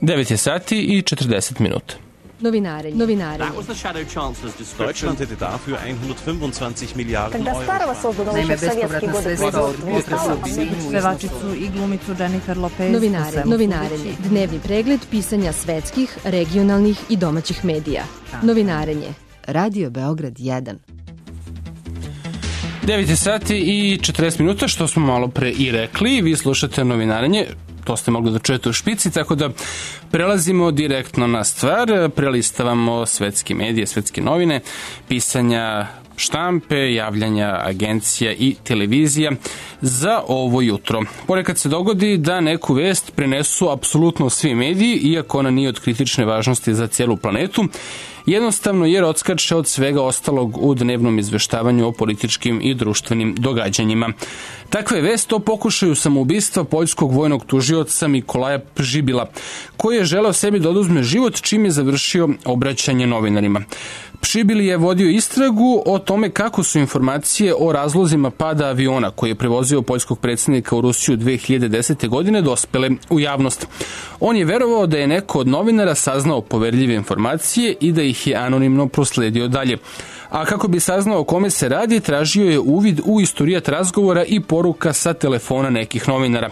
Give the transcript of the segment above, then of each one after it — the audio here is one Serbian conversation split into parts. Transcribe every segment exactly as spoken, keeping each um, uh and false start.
devet je sati i četrdeset minuta. Novinarenje. Novinarenje. Deutschland hätte dafür hundertfünfundzwanzig Miliarden Euro. Naime, bespovratna sredstva od pevačicu i glumicu Jennifer Lopez. Novinarenje. Novinarenje. Dnevni pregled pisanja svetskih, regionalnih i domaćih medija. Novinarenje. Radio Beograd jedan. devet je sati i četrdeset minuta, što smo malo pre i rekli. Vi slušate Novinarenje. To ste mogli da čujete u špici, tako da prelazimo direktno na stvar, prelistavamo svetske medije, svetske novine, pisanja štampe, javljanja agencija i televizija za ovo jutro. Ponekad se dogodi da neku vest prenesu apsolutno svi mediji, iako ona nije od kritične važnosti za cijelu planetu, jednostavno jer odskače od svega ostalog u dnevnom izveštavanju o političkim i društvenim događanjima. Takva je vest o pokušaju samoubistva poljskog vojnog tužioca Mikolaja Pžibila, koji je želeo sebi da oduzme život čim je završio obraćanje novinarima. Pžibil je vodio istragu o tome kako su informacije o razlozima pada aviona koji je prevozio poljskog predsjednika u Rusiju dve hiljade desete. godine dospele u javnost. On je verovao da je neko od novinara saznao poverljive informacije i da ih je anonimno prosledio dalje. A kako bi saznao o kome se radi, tražio je uvid u istorijat razgovora i poruka sa telefona nekih novinara.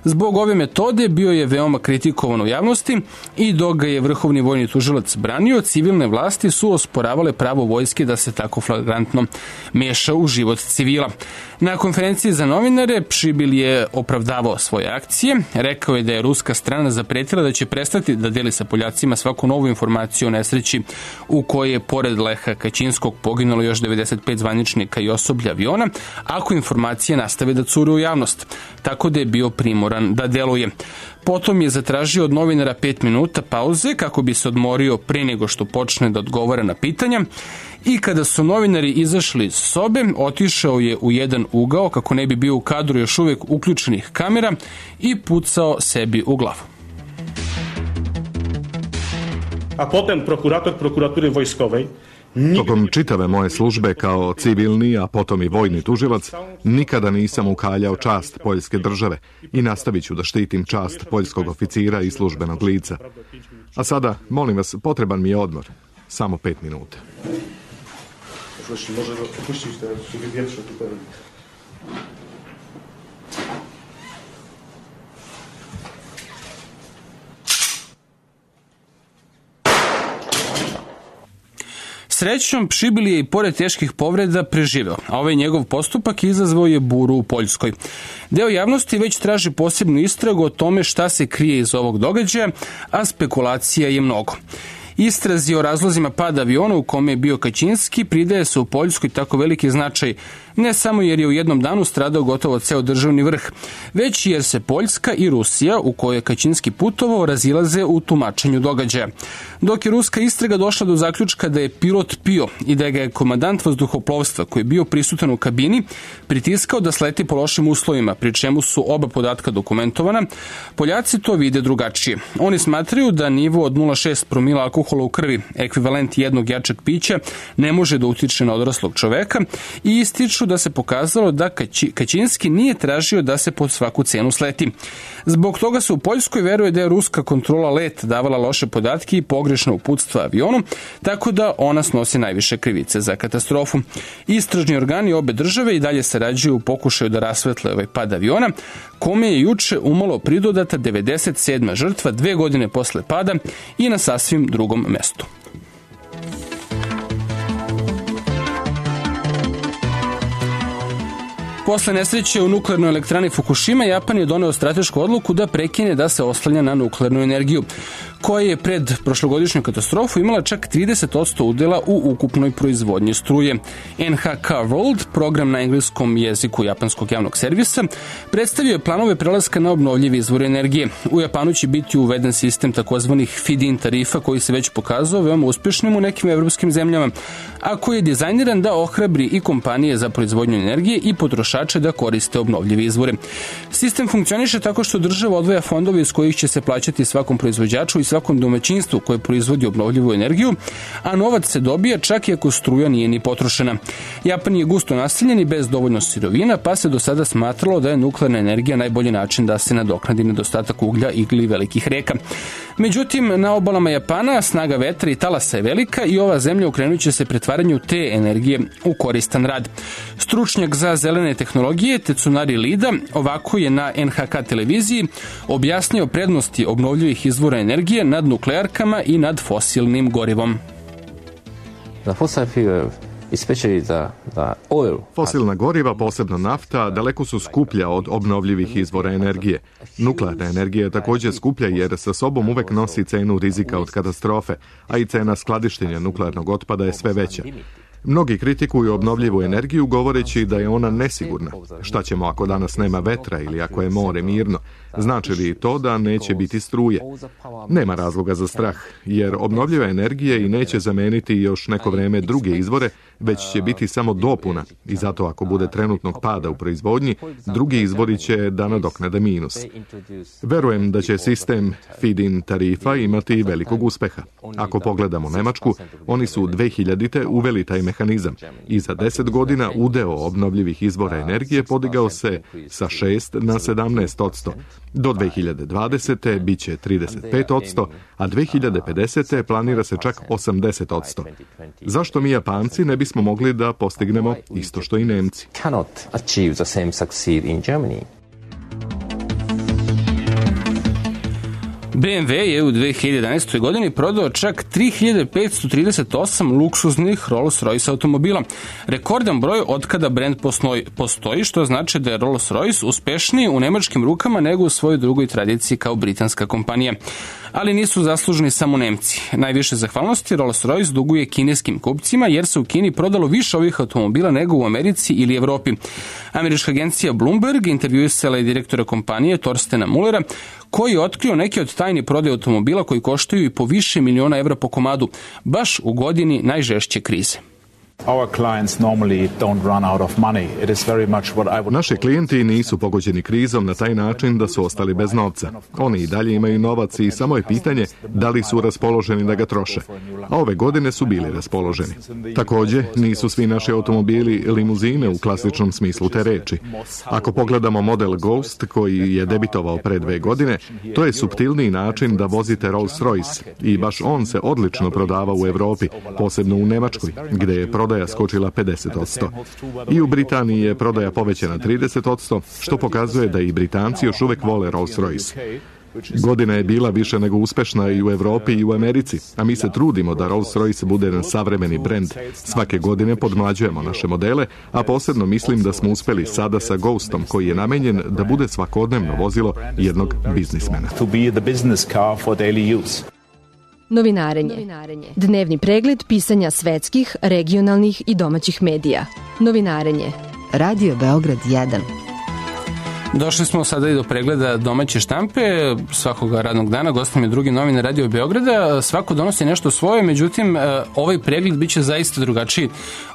Zbog ove metode bio je veoma kritikovan u javnosti i dok ga je vrhovni vojni tužilac branio, civilne vlasti su osporavale pravo vojske da se tako flagrantno meša u život civila. Na konferenciji za novinare Pžibil je opravdavao svoje akcije, rekao je da je ruska strana zapretila da će prestati da deli sa Poljacima svaku novu informaciju o nesreći u kojoj je pored Leha Kačinskog poginulo još devedeset pet zvaničnika i osoblja aviona, ako informacije nastave da cure u javnost, tako da je bio primoran da deluje. Potom je zatražio od novinara pet minuta pauze kako bi se odmorio pre nego što počne da odgovara na pitanja i kada su novinari izašli iz sobe, otišao je u jedan ugao kako ne bi bio u kadru još uvek uključenih kamera i pucao sebi u glavu. A potom prokurator prokuratury wojskowej Tokom čitave moje službe kao civilni, a potom i vojni tužilac, nikada nisam ukaljao čast poljske države i nastavit ću da štitim čast poljskog oficira i službenog lica. A sada, molim vas, potreban mi je odmor. Samo pet minuta. Srećom, Pžibil je i pored teških povreda preživeo, a ovaj njegov postupak izazvao je buru u Poljskoj. Deo javnosti već traži posebnu istragu o tome šta se krije iz ovog događaja, a spekulacija je mnogo. Istrazi o razlozima pada aviona u kome je bio Kačinski pridaje se u Poljskoj tako veliki značaj, ne samo jer je u jednom danu stradao gotovo ceo državni vrh, već jer se Poljska i Rusija, u kojoj je Kačinski putovao, razilaze u tumačenju događaja. Dok je ruska istraga došla do zaključka da je pilot pio i da ga je komandant vazduhoplovstva, koji je bio prisutan u kabini, pritiskao da sleti po lošim uslovima, pri čemu su oba podatka dokumentovana, Poljaci to vide drugačije. Oni smatraju da nivo od nula zarez šest promila alkohola u krvi, ekvivalent jednog jačeg pića, ne može da utiče na odraslog čoveka i ističu da se pokazalo da Kačinski nije tražio da se pod svaku cenu sleti. Zbog toga se u Poljskoj veruje da je ruska kontrola leta davala loše podatke i pogrešno uputstva avionu, tako da ona snosi najviše krivice za katastrofu. Istražni organi obe države i dalje sarađuju u pokušaju da rasvetle ovaj pad aviona, kome je juče umalo pridodata devedeset sedma žrtva dve godine posle pada i na sasvim drugom mestu. Posle nesreće u nuklearnoj elektrani Fukushima, Japan je doneo stratešku odluku da prekine da se oslanja na nuklearnu energiju, koja je pred prošlogodišnju katastrofu imala čak trideset posto udela u ukupnoj proizvodnji struje. N H K World, program na engleskom jeziku japanskog javnog servisa, predstavio je planove prelaska na obnovljive izvore energije. U Japanu će biti uveden sistem takozvanih feed-in tarifa koji se već pokazao veoma uspešnim u nekim evropskim zemljama, a koji je dizajniran da ohrabri i kompanije za proizvodnju energije i potrošače da koriste obnovljive izvore. Sistem funkcioniše tako što država odvaja fondove iz kojih će se plaćati svakom proizvođaču i svakom domaćinstvu koje proizvodi obnovljivu energiju, a novac se dobija čak i ako struja nije ni potrošena. Japan je gusto naseljen i bez dovoljno sirovina, pa se do sada smatralo da je nuklearna energija najbolji način da se nadoknadi nedostatak uglja ili velikih reka. Međutim, na obalama Japana snaga vetra i talasa je velika i ova zemlja okrenut će se pretvaranju te energije u koristan rad. Stručnjak za zelene tehnologije Tetsunari Lida ovako je na en ha ka televiziji objasnio prednosti obnovljivih izvora energije nad nuklearkama i nad fosilnim gorivom. The fossil fuel, especially the, the oil. Fosilna goriva, posebno nafta, daleko su skuplja od obnovljivih izvora energije. Nuklearna energija je također skuplja jer sa sobom uvek nosi cenu rizika od katastrofe, a i cena skladištenja nuklearnog otpada je sve veća. Mnogi kritikuju obnovljivu energiju govoreći da je ona nesigurna. Šta ćemo ako danas nema vetra ili ako je more mirno? Znači li to da neće biti struje? Nema razloga za strah, jer obnovljiva energija i neće zameniti još neko vreme druge izvore, već će biti samo dopuna i zato ako bude trenutnog pada u proizvodnji, drugi izvori će da nadoknade minus. Verujem da će sistem feed-in tarifa imati velikog uspeha. Ako pogledamo Nemačku, oni su dve hiljadite uveli taj mehanizam i za deset godina udeo obnovljivih izvora energije podigao se sa šest na sedamnaest posto. Do dve hiljade dvadesete bit će trideset pet posto, a dve hiljade pedesete planira se čak osamdeset posto. Zašto mi Japanci ne bismo mogli da postignemo isto što i Nemci? Cannot achieve the same succeed in Germany. be em ve je u dve hiljade jedanaestoj. godini prodao čak tri hiljade petsto trideset osam luksuznih Rolls-Royce automobila. Rekordan broj od kada brend postoji, što znači da je Rolls-Royce uspešniji u nemačkim rukama nego u svojoj drugoj tradiciji kao britanska kompanija. Ali nisu zaslužni samo Nemci. Najviše zahvalnosti Rolls-Royce duguje kineskim kupcima jer se u Kini prodalo više ovih automobila nego u Americi ili Evropi. Američka agencija Bloomberg intervjuisala je direktora kompanije Torstena Mullera, koji je otkrio neke od tajni prodaje automobila koji koštaju i po više miliona evra po komadu, baš u godini najžešće krize. Naši klijenti nisu pogođeni krizom na taj način da su ostali bez novca. Oni i dalje imaju novac i samo je pitanje da li su raspoloženi da ga troše. A ove godine su bili raspoloženi. Također, nisu svi naši automobili limuzine u klasičnom smislu te reči. Ako pogledamo model Ghost koji je debitovao pre dve godine, to je suptilniji način da vozite Rolls-Royce i baš on se odlično prodava u Evropi, posebno u Nemačkoj, gde je prodaja skočila pedeset posto. I u Britaniji je prodaja povećana trideset posto, što pokazuje da i Britanci još uvek vole Rolls-Royce. Godina je bila više nego uspešna i u Evropi i u Americi, a mi se trudimo da Rolls-Royce bude jedan savremeni brend. Svake godine podmlađujemo naše modele, a posebno mislim da smo uspeli sada sa Ghostom, koji je namenjen da bude svakodnevno vozilo jednog biznismena. Novinarenje. Dnevni pregled pisanja svetskih, regionalnih i domaćih medija. Novinarenje. Radio Beograd jedan. Došli smo sada i do pregleda domaće štampe svakoga radnog dana. Gost nam je drugi novinar Radio Beograda. Svako donosi nešto svoje, međutim, ovaj pregled biće zaista drugačiji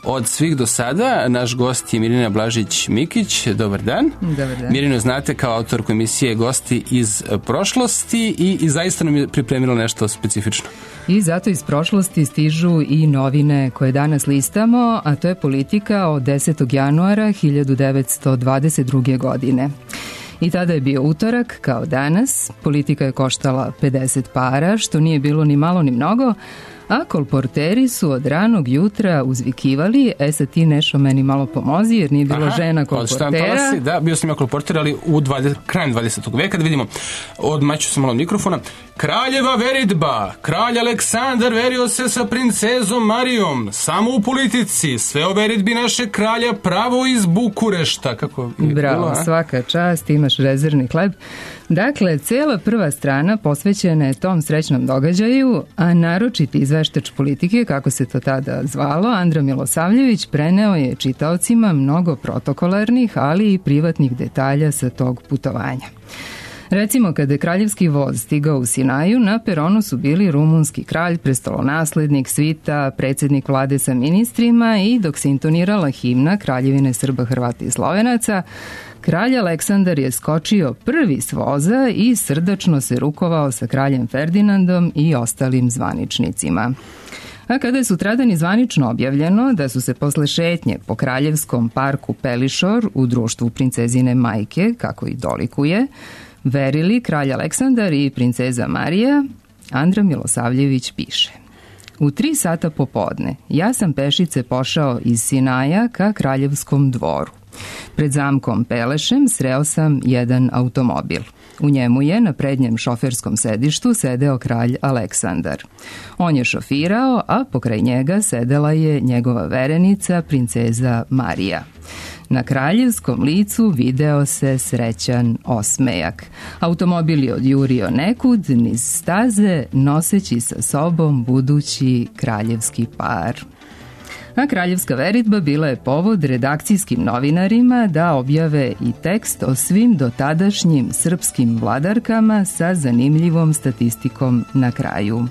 od svih do sada. Naš gost je Mirina Blažić-Mikić. Dobar dan. Dobar dan. Mirinu znate kao autorku emisije Gosti iz prošlosti i, i zaista nam je pripremilo nešto specifično. I zato iz prošlosti stižu i novine koje danas listamo, a to je politika od desetog januara hiljadu devetsto dvadeset druge. godine. I tada je bio utorak, kao danas. Politika je koštala pedeset para, što nije bilo ni malo ni mnogo, a kolporteri su od ranog jutra uzvikivali, e sad ti Nešo meni malo pomozi, jer nije bilo Aha, žena kolportera. Si, da, bio sam ja kolporter, ali u dvadeset, krajem dvadesetog veka, da vidimo, odmaću se malo mikrofona. Kraljeva veridba, kralj Aleksandar verio se sa princezom Marijom, samo u politici, sve o veridbi naše kralja pravo iz Bukurešta. Kako Bravo, bilo, svaka čast, imaš rezervni hleb. Dakle, cela prva strana posvećena je tom srećnom događaju, a naročiti izveštač politike, kako se to tada zvalo, Andra Milosavljević, preneo je čitaocima mnogo protokolarnih, ali i privatnih detalja sa tog putovanja. Recimo, kada je kraljevski voz stigao u Sinaju, na peronu su bili rumunski kralj, prestolonaslednik, svita, predsjednik vlade sa ministrima i dok se intonirala himna Kraljevine Srba, Hrvata i Slovenaca, kralj Aleksandar je skočio prvi s voza i srdačno se rukovao sa kraljem Ferdinandom i ostalim zvaničnicima. A kada je sutradan zvanično objavljeno da su se posle šetnje po kraljevskom parku Pelišor u društvu princezine majke, kako i dolikuje, verili kralj Aleksandar i princeza Marija, Andra Milosavljević piše: U tri sata popodne ja sam pešice pošao iz Sinaja ka Kraljevskom dvoru. Pred zamkom Pelešem sreo sam jedan automobil. U njemu je na prednjem šoferskom sedištu sedeo kralj Aleksandar. On je šofirao, a pokraj njega sedela je njegova verenica, princeza Marija. Na kraljevskom licu video se srećan osmejak. Automobil je odjurio nekud niz staze, noseći sa sobom budući kraljevski par. A kraljevska veritba bila je povod redakcijskim novinarima da objave i tekst o svim dotadašnjim srpskim vladarkama sa zanimljivom statistikom na kraju.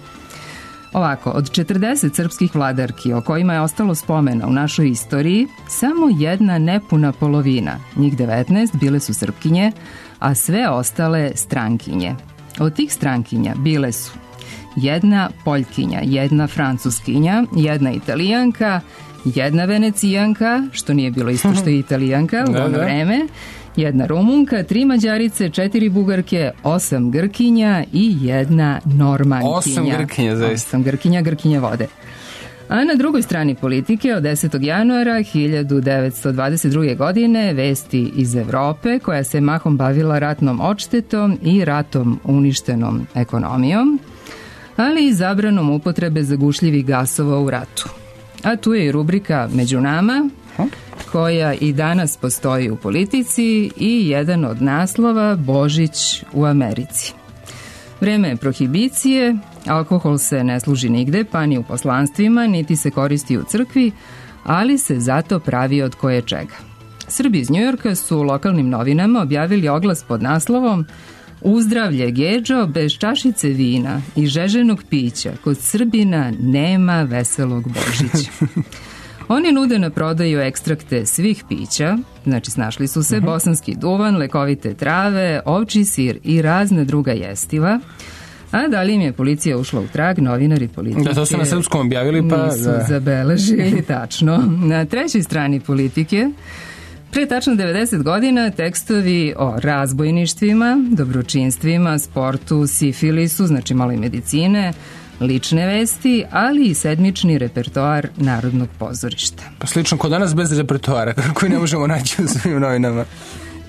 Ovako, od četrdeset srpskih vladarki o kojima je ostalo spomena u našoj istoriji, samo jedna nepuna polovina, njih devetnaest, bile su Srpkinje, a sve ostale strankinje. Od tih strankinja bile su jedna Poljkinja, jedna Francuskinja, jedna Italijanka, jedna Venecijanka, što nije bilo isto što je Italijanka u ono vreme, jedna Rumunka, tri Mađarice, četiri Bugarke, osam Grkinja i jedna Normankinja. Osam Grkinja, zaista. Osam Grkinja, Grkinja vode. A na drugoj strani politike od desetog januara hiljadu devetsto dvadeset druge. godine vesti iz Evrope, koja se mahom bavila ratnom odštetom i ratom uništenom ekonomijom, ali i zabranom upotrebe zagušljivih gasova u ratu. A tu je i rubrika Među nama, koja i danas postoji u politici, i jedan od naslova Božić u Americi. Vreme je prohibicije, alkohol se ne služi nigde, pa ni u poslanstvima, niti se koristi u crkvi, ali se zato pravi od koje čega. Srbi iz Njujorka su u lokalnim novinama objavili oglas pod naslovom Uzdravlje Gedžo, bez čašice vina i žeženog pića kod Srbina nema veselog Božića. Oni nude na prodaju ekstrakte svih pića, znači snašli su se bosanski duvan, lekovite trave, ovčji sir i razne druga jestiva. A da li im je policija ušla u trag, novinari politike... Da, to su na srpskom objavili, pa... Nisu da. zabeležili, tačno. Na trećoj strani politike, pre tačno devedeset godina, tekstovi o razbojništvima, dobročinstvima, sportu, sifilisu, znači malo i medicine, lične vesti, ali i sedmični repertoar Narodnog pozorišta. Pa slično kod danas bez repertoara, koji ne možemo naći u svim novinama.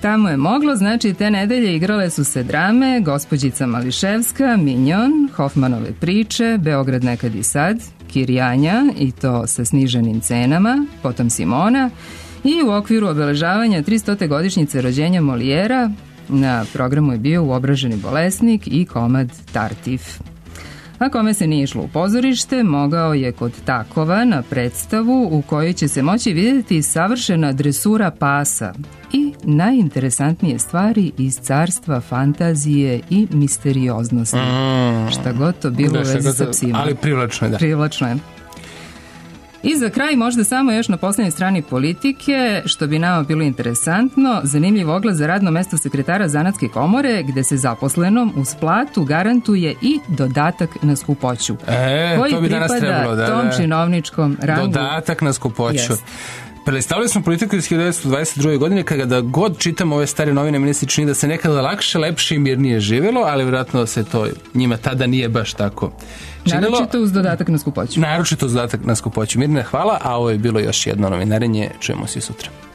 Tamo je moglo, znači te nedelje igrale su se drame Gospođica Mališevska, Minjon, Hofmanove priče, Beograd nekad i sad, Kirjanja, i to sa sniženim cenama, potom Simona, i u okviru obeležavanja tristote godišnjice rođenja Molijera na programu je bio Uobraženi bolesnik i komad Tartif. A kome se nije išlo u pozorište, mogao je kod Takova na predstavu u kojoj će se moći vidjeti savršena dresura pasa i najinteresantnije stvari iz carstva fantazije i misterioznosti. Mm. Šta god to bilo da, u vezi sa psima. Ali privlačno je, da. Privlačno je. I za kraj možda samo još na poslednjoj strani politike, što bi nama bilo interesantno, zanimljiv oglas za radno mesto sekretara Zanatske komore, gde se zaposlenom uz platu garantuje i dodatak na skupoću. E, koji to bi danas trebalo, da, tom da. činovničkom rangu. Dodatak na skupoću. Jest. Predstavili smo politiku iz hiljadu devetsto dvadeset druge. godine, kada god čitam ove stare novine, meni se čini da se nekada lakše, lepše i mirnije živjelo, ali vjerojatno se to njima tada nije baš tako činilo. Naročito uz dodatak na skupoću. Naročito uz dodatak na skupoću. Mirne, hvala, a ovo je bilo još jedno novinarenje. Čujemo se sutra.